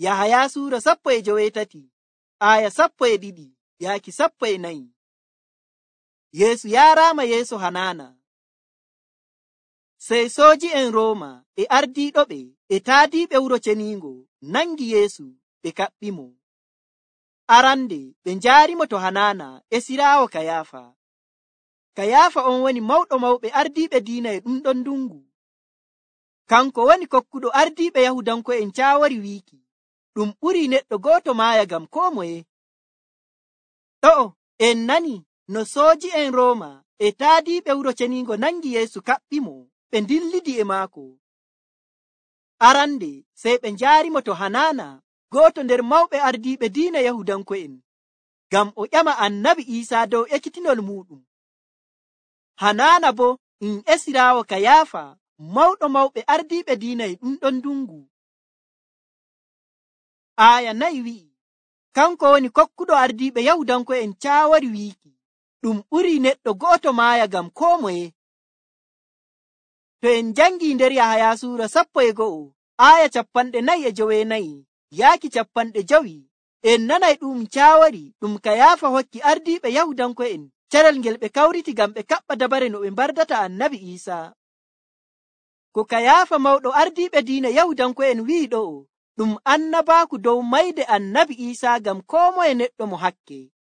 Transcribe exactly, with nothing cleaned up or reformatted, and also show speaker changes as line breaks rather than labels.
Yahaya suura sappo e joweetati aya sappo e ɗiɗi yaaki sappo e nayi. Yeesu yaaraama yeeso Hanana. Sey sooji'en Rooma e ardiiɗoɓe e taadiiɓe wuro ceniingo nangi Yeesu ɓe kaɓɓimo. Arande ɓe njaarimo to Hanana esiraawo Kayaafa. Kayaafa on woni mawɗo mawɓe ardiiɓe diina e ɗum ɗon ndungu. Kanko woni kokkuɗo ardiiɓe Yahudanko'en caawori wiiki ɗum ɓurii neɗɗo gooto maaya ngam koo moye. Ɗo'o en nani no sooji'en Rooma e taadiiɓe wuro ceniingo nangi Yeesu kaɓɓimo ɓe ndillidi e maako. Arande sey ɓe njaarimo to Hanana, gooto nder mawɓe ardiiɓe diina Yahudanko'en, ngam o ƴama Annabi Iisaa dow ekkitinol muuɗum. Hanana boo um esiraawo Kayaafa, mawɗo mawɓe ardiiɓe diina e ɗum ɗon ndungu. Aaya nayi wi'i, kanko woni kokkuɗo ardiiɓe Yahudanko'en caawori wiiki ɗum ɓurii neɗɗo go'oto maaya ngam koo moye. To en njangii nder Yahaya suura sappo e go'o aaya capanɗe nayi e joweenayi yaaki capanɗe jowi, en nanay ɗum caawori ɗum Kayaafa hokki ardiiɓe Yahudanko'en carel ngel ɓe kawriti ngam ɓe kaɓɓa dabare no ɓe mbardata Annabi Iisaa. Ko Kayaafa mawɗo ardiiɓe diina Yahudanko'en wi'i ɗo'o ɗum annabaaku dow mayde Annabi Iisaa ngam koo moye neɗɗo mo hakke.